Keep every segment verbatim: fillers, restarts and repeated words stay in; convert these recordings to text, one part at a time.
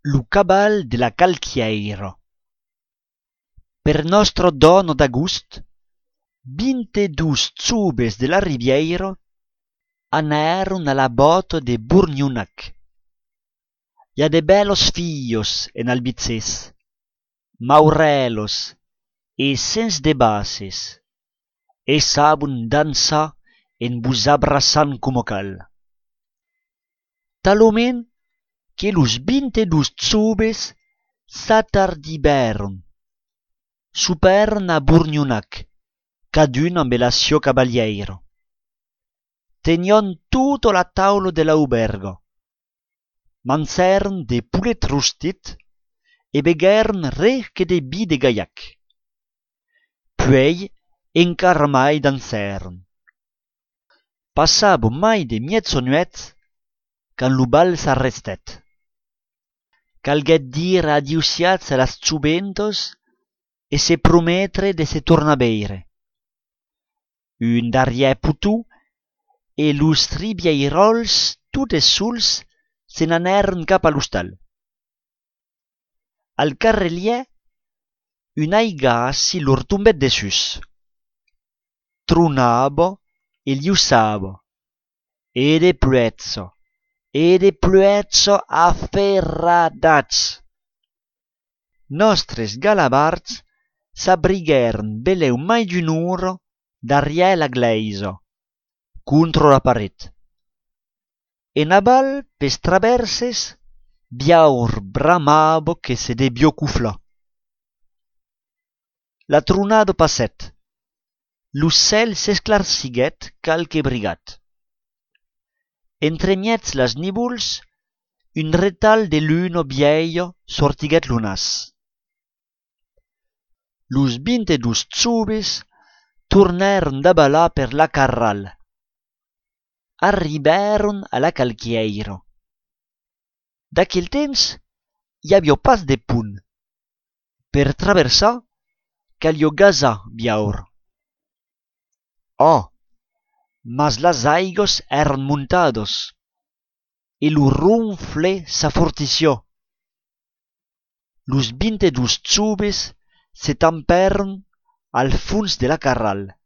Lo caval de la Calquièira. Per Nòstra Dòna d'Agost, vint-e-dos joves de la Ribièira anèron a la bòta de Bornhonac. I a de bèlas filhas en Albigés, maurèlas e sens de bases, e sabon dançar en vos abraçant coma cal. Talament que los vint-e-dos joves s'atardivèron. Sopèron a Bornhonac, cadun ambe la siá cavalièira. Tenián tota la taula de l'aubèrga. Mangèron de polet rostit e beguèron res que de vin de Gaillac. Puèi encara mai dancèron. Passava mai de mièjanuèch quand lo bal s'arrestèt. Calguèt dire adiussiatge a las joventas e se prometre de se tornar veire. Un darrièr poton e los ribièiròls, totes sols, se n'anèron cap a l'ostal. Al carrelièr, un aigassi lor tombèt dessús. Tronava e liuçava, e de pluèja, e de pluèja a ferradats. Nòstres galavards s'abriguèron belèu mai d'una ora darrièr la glèisa, contra la paret. En aval, pels travèrses, Biaur bramava que se deviá coflar. La tronada passèt. Lo cèl s'esclarsiguèt qualque brigat. Entremièg las nívols, un retalh de luna vièlha sortiguèt lo nas. Los vint-e-dos joves tornèron davalar per la Carral. Arribèron a la Calquièira. D'aquel temps, i aviá pas de pont. Per traversar, caliá gasar Biaur. Ò, mas las aigas èran montadas e lo ronfle s'afortissiá. Los vint-e-dos joves se tampèron al fons de la Carral.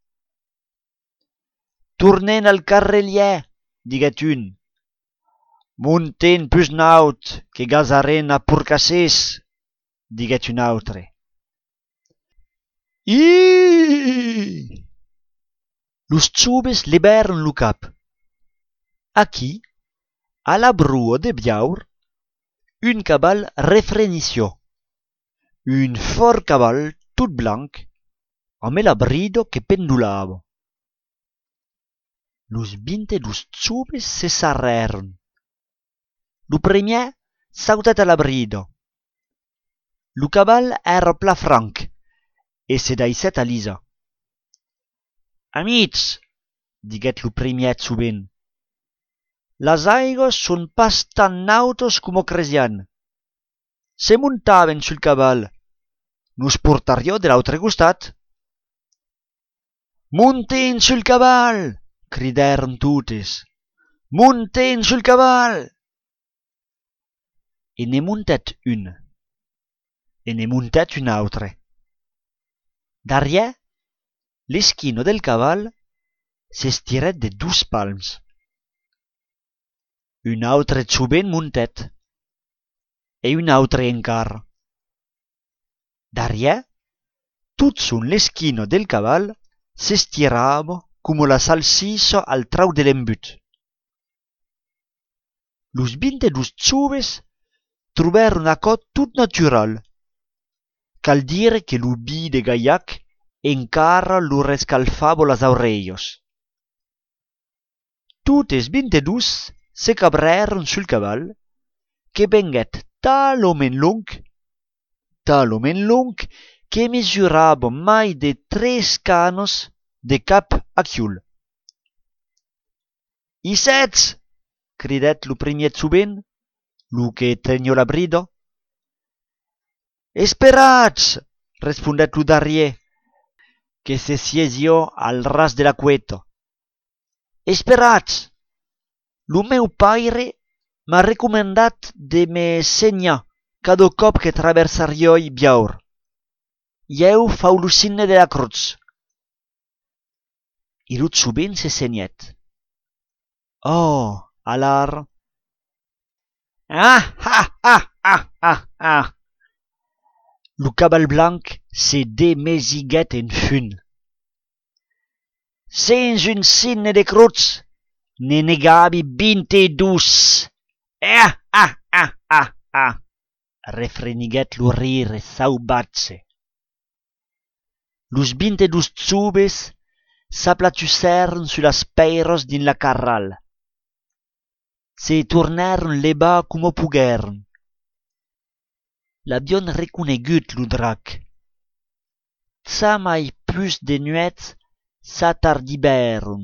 «Tornem al carrelièr», diguèt un. «Montem pus naut, que gasarem a Porcassés», diguèt un autre. Ih! Los joves levèron lo cap. Aquí, a la broa de Biaur, un caval refrenissiá. Un fòrt caval tot blanc, ambe la brida que pendolava. Los vint-e-dos joves se sarrèron. Lo primièr sautèt a la brida. Lo caval èra plan franc e se daissèt alisar. «Amics», diguèt lo primièr jovent, «las aigas son pas tan nautas coma cresián. Se montàvem sul caval, nos portariá de l'autre costat.» «Montem sul caval!», cridèron totes. «Montem sul caval!» E ne montèt un. E ne montèt un autre. Darrièr, l'esquina del caval s'estirèt de dos palms. Un autre jovent montèt, e un autre encara. Darrièr, totjorn l'esquina del caval s'estirava coma la salsissa al trauc de l'embut. Los vint-e-dos joves trobèron aquò tot natural. Cal dire que lo vin de Gaillac encara lor escalfava las aurelhas. Totes vint-e-dos se cabrèron sul caval, que venguèt talament long, talament long, que mesurava mai de tres canas de cap a quiol. «I sètz!», cridèt lo primièr jovent, lo que teniá la brida. «Esperatz!», respondèt lo darrièr, que se siesiá al ras de la cueta. «Esperatz! Lo meu paire m'a recomandat de me senhar cada còp que traversariái Biaur. Ieu fau lo signe de la crotz. E lo jovent se senhèt. Oh, alara! Ah, ah, ah, ah, ah, ah! Lo caval blanc se desmesiguèt en fum. Sens un signe de crotz, ne negavi vint-e-dos! Ah, ah, ah, ah, ah! Refreniguèt lo rire sauvatge. Los vint-e-dos joves s'aplatussèron sus las pèiras dins la carrala. Se tornèron levar coma poguèron. L'avián reconegut, lo drac. Jamai pus de nuèch s'atardivèron.